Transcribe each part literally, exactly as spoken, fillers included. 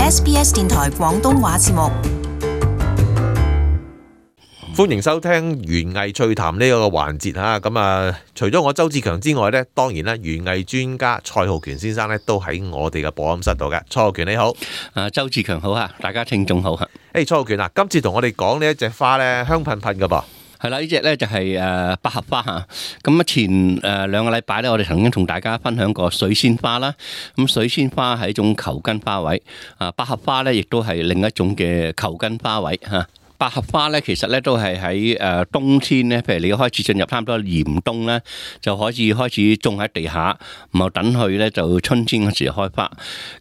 S B S 電台廣東話節目。歡迎收聽園藝趣談呢個環節嚇，咁啊，除咗我周志強之外呢，當然啦，園藝專家蔡浩權先生呢都喺我哋嘅播音室度嘅。蔡浩權你好，啊周志強好啊，大家聽眾好啊。誒，蔡浩權啊，今次同我哋講呢一隻花呢，香噴噴嘅噃。係啦，呢隻咧就係誒百合花嚇。咁啊前誒兩個禮拜咧，我哋曾經同大家分享過水仙花啦。咁水仙花係一種球根花卉，啊百合花咧亦都係另一種嘅球根花卉嚇。百合花咧，其實咧都係喺誒冬天咧，譬如你開始進入差唔多嚴冬咧，就可以開始種喺地下，然後等佢咧就春天嗰時開花。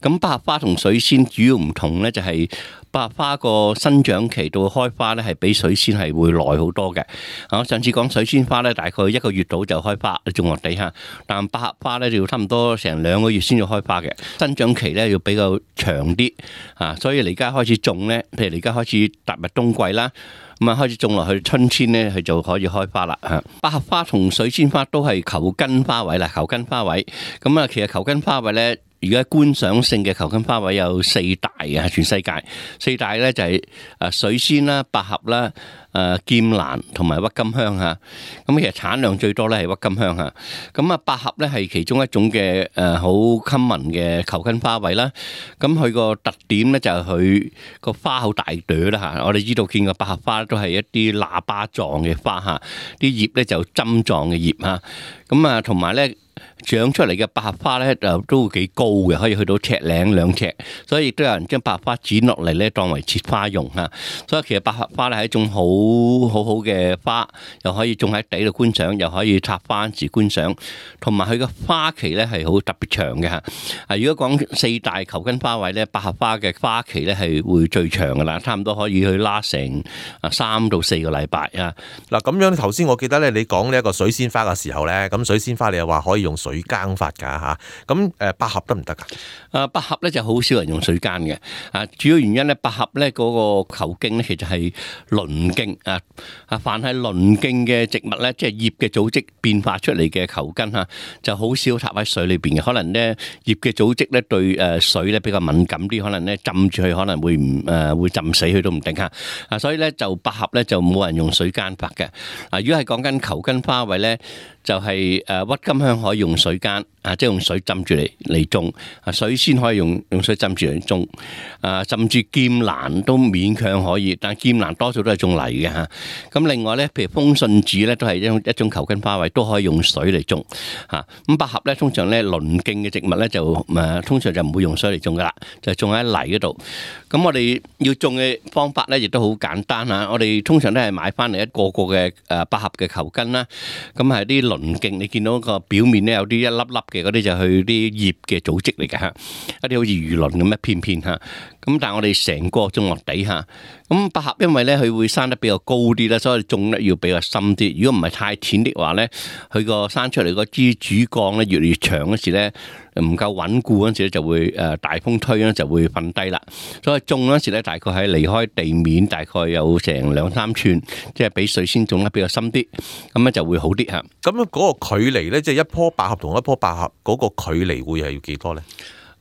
咁百合花同水仙主要唔同咧，就係百合花個生長期到開花咧，係比水仙係會耐好多嘅。我上次講水仙花咧，大概一個月到就開花，你種落地下，但百合花咧就要差唔多成兩個月先至開花嘅，生長期咧要比較長啲啊。所以你而家開始種咧，譬如你而家開始踏入冬季啦，咁啊開始種落去春天咧，佢就可以開花啦嚇。百合花同水仙花都係球根花卉啦，球根花卉。咁啊，其實球根花卉咧，而家觀賞性嘅球根花卉有四大嘅，全世界四大咧就係誒水仙啦、百合啦、誒劍蘭同埋鬱金香嚇。咁其實產量最多咧係鬱金香嚇。咁啊，百合咧係其中一種嘅誒好 common 嘅球根花卉啦。咁佢個特點咧就係佢個花好大朵啦嚇。我哋知道見過百合花都係一啲喇叭狀嘅花嚇，啲葉咧就針狀嘅葉嚇。咁啊，同埋咧，長出嚟嘅百合花咧就都幾高嘅，可以去到尺零兩尺，所以亦都有人將百合花剪落嚟咧當為切花用嚇。所以其實百合花咧係一種好好好嘅花，又可以種喺地度觀賞，又可以插花時觀賞，同埋佢嘅花期咧係好特別長嘅嚇。啊，如果講四大球根花卉咧，百合花嘅花期咧係會最長噶啦，差唔多可以去拉成啊三到四個禮拜啊。嗱咁樣頭先我記得咧，你講呢一個水仙花嘅時候咧，咁水仙花你又話可以用水耕法㗎嚇，咁誒百合得唔得㗎？啊，百合咧就好少人用水耕嘅，啊，主要原因咧，百合咧嗰個球莖咧其實係輪莖啊，啊，凡係輪莖嘅植物咧，即係葉嘅組織變化出嚟嘅球根嚇，就好少插喺水裏邊嘅，可能咧葉嘅組織咧對誒水咧比較敏感啲，可能咧浸住佢可能會唔誒會浸死佢都唔定嚇，啊，所以咧就百合咧就冇人用水耕法嘅，啊，如果係講緊球根花卉咧，就係誒鬱金香可以用水耕，啊，即係用水浸住嚟嚟種，啊，水仙可以用用水浸住嚟種，啊，甚至劍蘭都勉強可以，但係劍蘭多數都係種泥嘅嚇。咁另外咧，譬如風信子咧，都係一種一種球根花卉，都可以用水嚟種嚇。咁百合咧，通常咧輪莖嘅植物咧就誒，通常就唔會用水嚟種噶啦，就種喺泥嗰度。咁我哋要種嘅方法咧，亦都好簡單嚇。我哋通常都係買翻嚟一個個嘅誒百合嘅球根啦，咁係啲輪莖，你見到個表面咧有啲一粒粒嘅嗰啲就係佢啲葉嘅組織嚟嘅嚇，一啲好似魚鱗咁一片片嚇。咁但係我哋成個種落地下，咁百合因為咧佢會生得比較高啲啦，所以種咧要比較深啲。如果唔係太淺的話咧，佢個生出嚟嗰支主幹咧越嚟越長嗰時咧，唔夠穩固嗰時咧就會誒大風吹咧就會瞓低啦。所以種嗰時咧大概係離開地面大概有成兩三寸，即係比水仙種得比較深啲，咁咧就會好啲嚇。咁嗰個距離咧，即係一棵百合同一棵百合嗰個距離會係要幾多咧？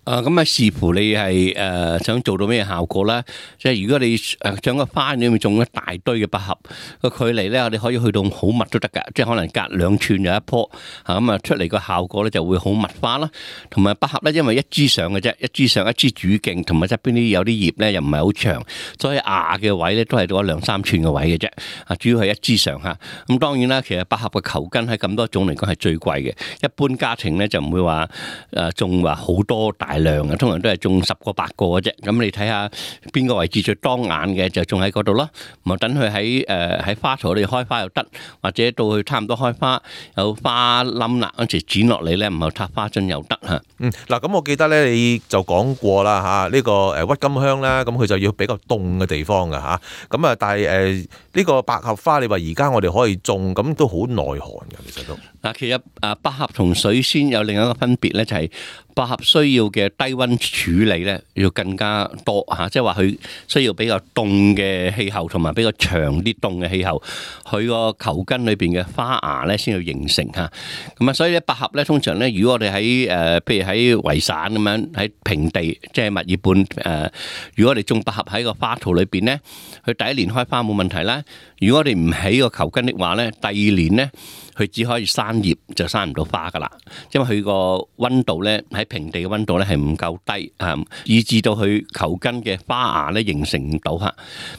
啊，咁啊視乎你係誒想做到咩效果啦。即係如果你誒將個花裏面種一大堆嘅百合，個距離咧，我哋可以去到好密都得㗎。即係可能隔兩寸有一棵，嚇咁啊出嚟個效果咧就會好密花啦。同埋百合咧，因為一枝上嘅啫，一枝上一枝主徑，同埋側邊啲有啲葉咧又唔係好長，所以芽嘅位咧都係到一兩三寸嘅位嘅啫。啊，主要係一枝上嚇。咁當然啦，其實百合嘅球根喺咁多種嚟講係最貴嘅。一般家庭咧就唔會話誒種話好多大量嘅，通常都係種十個八個嘅啫。咁你睇下邊個位置最當眼嘅就種喺嗰度咯。咁等佢喺誒喺花槽度開花又得，或者到佢差唔多開花有花冧啦嗰時剪落嚟咧，唔係插花樽又得嚇。嗯，嗱咁我記得咧你就講過啦嚇，呢個誒鬱金香啦，咁佢就要比較凍嘅地方㗎嚇。咁啊，但係誒呢個百合花，你話而家我哋可以種，咁都好耐寒㗎，其實都。嗱，其實誒百合同水仙有另一個分別咧，就係百合需要嘅低溫處理咧要更加多嚇，即係話佢需要比較凍嘅氣候同埋比較長啲凍嘅氣候，佢個球根裏邊嘅花芽咧先要形成嚇。咁啊，所以咧百合咧通常咧，如果我哋喺誒譬如喺維省咁樣喺平地，即係墨爾本誒，如果我哋種百合喺個花槽裏邊咧，佢第一年開花冇問題啦。如果我哋唔起個球根的話咧，第二年咧，佢只可以生葉就生唔到花噶啦，因為佢個溫度咧喺平地嘅溫度咧係唔夠低啊，以致到佢球根嘅花芽咧形成唔到嚇。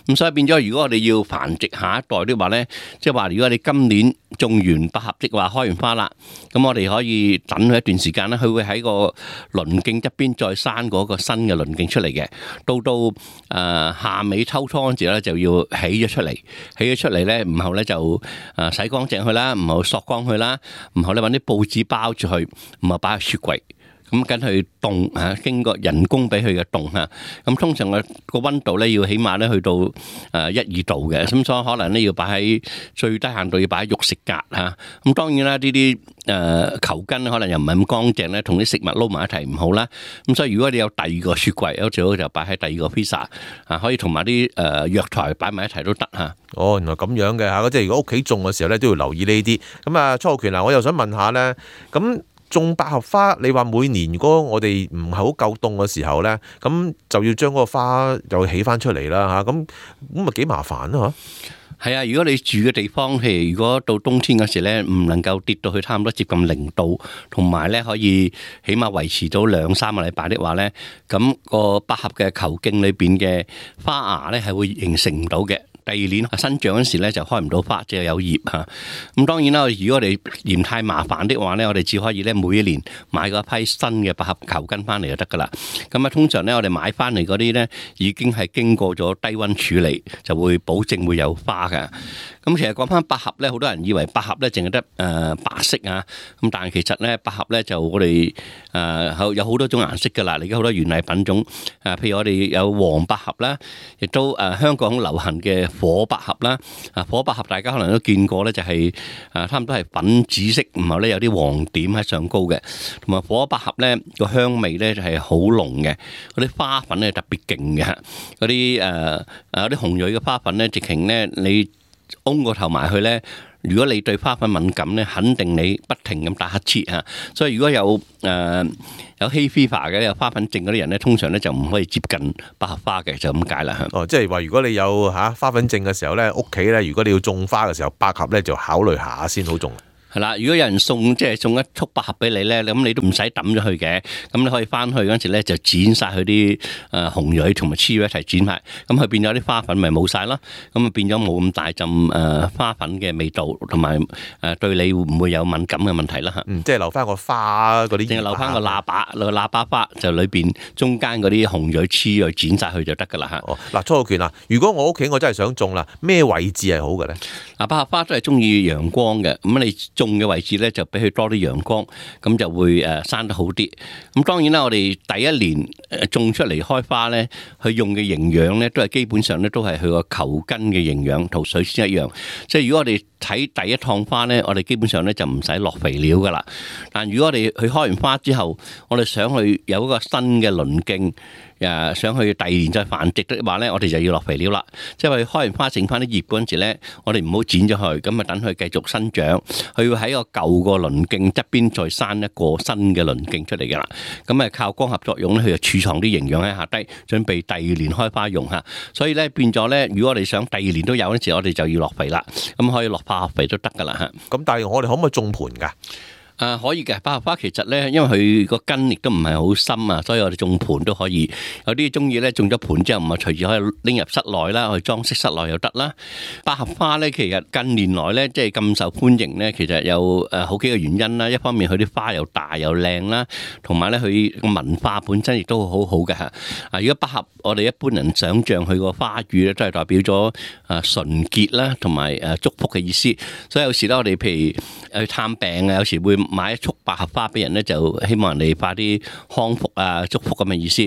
咁所以變咗，如果我哋要繁殖下一代的話咧，即係話如果你今年種完百合的話開完花啦，咁我哋可以等佢一段時間咧，佢會喺個鱗徑側邊再生嗰個新嘅鱗徑出嚟嘅。到到誒、呃、夏尾秋初嗰陣時咧就要起咗出嚟，起咗出嚟咧，然後咧就誒洗乾淨佢啦，然後索乾佢啦，然後咧揾啲報紙包住佢，然後擺喺雪櫃。咁跟佢凍嚇，經過人工俾佢嘅凍嚇。咁通常嘅個溫度咧要起碼咧去到誒一二度嘅，咁所以可能咧要擺喺最低限度要擺喺肉食格嚇。咁當然啦，呢啲誒球根可能又唔係咁乾淨咧，同啲食物撈埋一齊唔好啦。咁所以如果你有第二個雪櫃，最好就擺喺第二個 freezer 啊，可以同埋啲誒藥材擺埋一齊都得嚇。哦，原來咁樣嘅嚇，即係如果屋企種嘅時候咧都要留意呢啲。咁啊，初浩權啊，我又想問下咧，咁種百合花，你話每年如果我哋唔係好夠凍嘅時候咧，咁就要將嗰個花又起翻出嚟啦嚇，咁咁咪幾麻煩啊嚇？係啊，如果你住嘅地方，譬如如果到冬天嗰時咧，唔能夠跌到去差唔多接近零度，同埋咧可以起碼維持到兩三個禮拜的話咧，咁個百合嘅球莖裏邊嘅花芽咧係會形成唔到嘅。第二年生長嗰時咧就開唔到花，只係有葉嚇。咁當然啦，如果我哋嫌太麻煩的話咧，我哋只可以咧每一年買嗰批新嘅百合球根翻嚟就得噶啦。咁啊，通常咧我哋買翻嚟嗰啲咧已經係經過咗低溫處理，就會保證會有花嘅。咁其實講翻百合咧，好多人以為百合咧淨係得誒白色啊，咁但係其實咧百合咧就我哋誒有好多種顏色噶啦，而家好多園藝品種誒，譬如我哋有黃百合啦，亦都誒香港流行嘅火百合啦，啊火百合大家可能都見過咧，就係誒差唔多係粉紫色，然後咧有啲黃點喺上高嘅，同埋火百合咧個香味咧就係好濃嘅，嗰啲花粉咧特別勁嘅，嗰啲誒誒有啲紅蕊嘅花粉咧，直情咧你嗡個頭埋去咧，如果你對花粉敏感咧，肯定你不停咁打乞嗤嚇。所以如果有誒、呃、有 hay fever 嘅有花粉症嗰啲人咧，通常咧就唔可以接近百合花嘅，就咁解啦。哦，即係話如果你有嚇花粉症嘅時候咧，屋企咧如果你要種花嘅時候，百合咧就考慮下先好種。係啦，如果有人送即係送一束百合俾你咧，咁你都唔使抌咗佢嘅，咁你可以翻去嗰陣時咧就剪晒佢啲誒紅蕊同埋雌蕊一齊剪埋，咁佢變咗啲花粉咪冇晒咯，咁啊變咗冇咁大陣誒花粉嘅味道，同埋誒對你會唔會有敏感嘅問題啦嚇？嗯，即係留翻個花嗰啲，淨係留翻個喇叭，個喇叭花就裏邊中間嗰啲紅蕊雌蕊剪晒佢就得噶啦嚇。哦，嗱，初浩權啊，如果我屋企我真係想種啦，咩位置係好嘅咧？嗱，百合花都係中意陽光嘅，咁你種嘅位置咧就俾佢多啲陽光，咁就會誒生得好啲。咁當然啦，我哋第一年誒種出嚟開花咧，佢用嘅營養咧都係基本上咧都係佢個球根嘅營養，同水仙一樣。即係如果我哋睇第一趟花咧，我哋基本上咧就唔使落肥料噶啦。但如果我哋去開完花之後，我哋想去有一個新嘅鱗徑，誒想去第二年再繁殖的話咧，我哋就要落肥料啦。即係話開完花剩翻啲葉嗰陣時咧，我哋唔好剪咗佢，咁啊等佢繼續生長。佢要喺個舊個鱗徑側邊再生一個新嘅鱗徑出嚟噶啦。咁啊靠光合作用咧，佢就儲藏啲營養喺下低，準備第二年開花用嚇。所以咧變咗咧，如果我哋想第二年都有嗰陣時，我哋就要落肥啦。咁可以落化學肥都得噶啦嚇。咁但係我哋可唔可以種盆㗎？誒、呃、可以嘅，百合花其實咧，因為佢個根亦都唔係好深啊，所以我哋種盆都可以。有啲中意咧，種咗盆之後唔係隨住可以拎入室內啦，去裝飾室內又得啦。百合花咧，其實近年來咧，即係咁受歡迎咧，其實有誒好幾個原因啦。一方面佢啲花又大又靚啦，同埋咧佢個文化本身亦都好好嘅嚇。啊，如果百合，我哋一般人想像佢個花語咧，都係代表咗誒純潔啦，同埋誒祝福嘅意思。所以有時咧，我哋譬如去探病啊，有時會買一束百合花俾人咧，就希望人哋快啲康復啊、祝福咁嘅意思。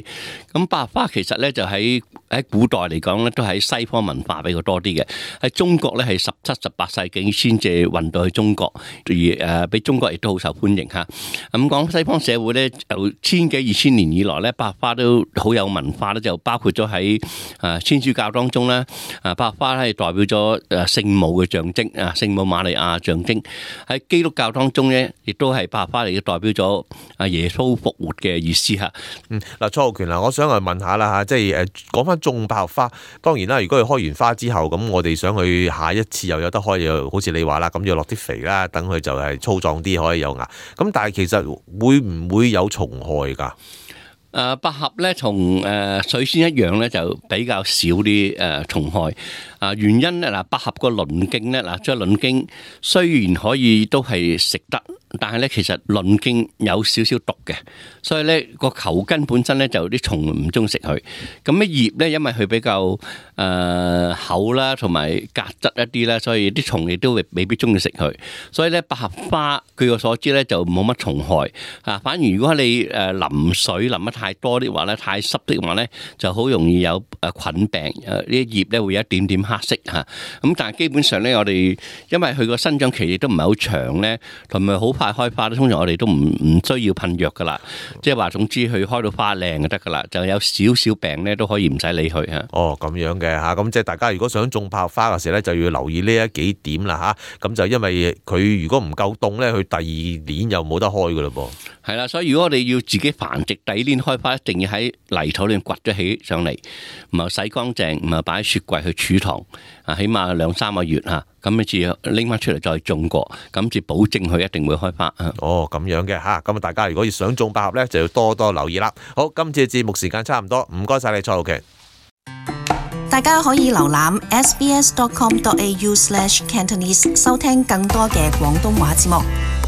咁百合花其實咧就喺喺古代嚟講咧，都喺西方文化比較多啲嘅。喺中國咧係十七、十八世紀先至運到去中國，而誒俾中國亦都好受歡迎嚇。咁講西方社會咧，由千幾二千年以來咧，百合花都好有文化咧，就包括咗喺誒天主教當中咧，啊百合花咧係代表咗誒聖母嘅象徵啊，聖母瑪利亞象徵。喺基督教當中咧，亦都係百合花嚟嘅代表咗啊耶穌復活嘅意思嚇。嗯，嗱，蔡浩權嗱，我想嚟問下啦嚇，即係誒講翻種百合花，當然啦，如果佢開完花之後，咁我哋想去下一次又有得開，又好似你話啦，咁要落啲肥啦，等佢就係粗壯啲，可以有芽。咁但係其實會唔會有蟲害㗎？誒百合咧，同誒水仙一樣咧，就比較少啲誒蟲害。啊，原因咧嗱，百合個鱗莖咧嗱，即係鱗莖雖然可以都係食得，但係咧其實鱗莖有少少毒嘅，所以咧個球根本身咧就啲蟲唔中意食佢。咁啲葉咧，因為佢比較誒厚啦，同埋夾質一啲啦，所以啲蟲亦都未必中意食佢。所以咧百合花據我所知咧就冇乜蟲害啊。反而如果你誒淋水淋得太多啲話咧，太濕的話咧，就好容易有誒菌病。誒呢啲葉咧會有一點點黑色嚇。咁但係基本上咧，我哋因為佢個生長期亦都唔係好長咧，同埋好快開花咧，通常我哋都唔唔需要噴藥噶啦。即係話總之佢開到花靚就得噶啦，就有少少病咧都可以唔使理佢嚇。哦，咁樣嘅嚇，咁即係大家如果想種百合花嘅時候咧，就要留意呢一幾點啦嚇。咁就因為佢如果唔夠凍咧，佢第二年又冇得開噶嘞噃。係啦，所以如果我哋要自己繁殖，第二年開花一定要喺泥土裏面掘咗起上嚟，唔係洗乾淨，唔係擺喺雪櫃去儲藏，啊，起碼兩三個月嚇，咁你至拎翻出嚟再種過，咁至保證佢一定會開花。哦，咁樣嘅嚇，咁啊大家如果要想種百合咧，就要多多留意啦。好，今次嘅節目時間差唔多，唔該晒你蔡浩權。大家可以瀏覽 s b s dot com dot a u slash cantonese 收聽更多嘅廣東話節目。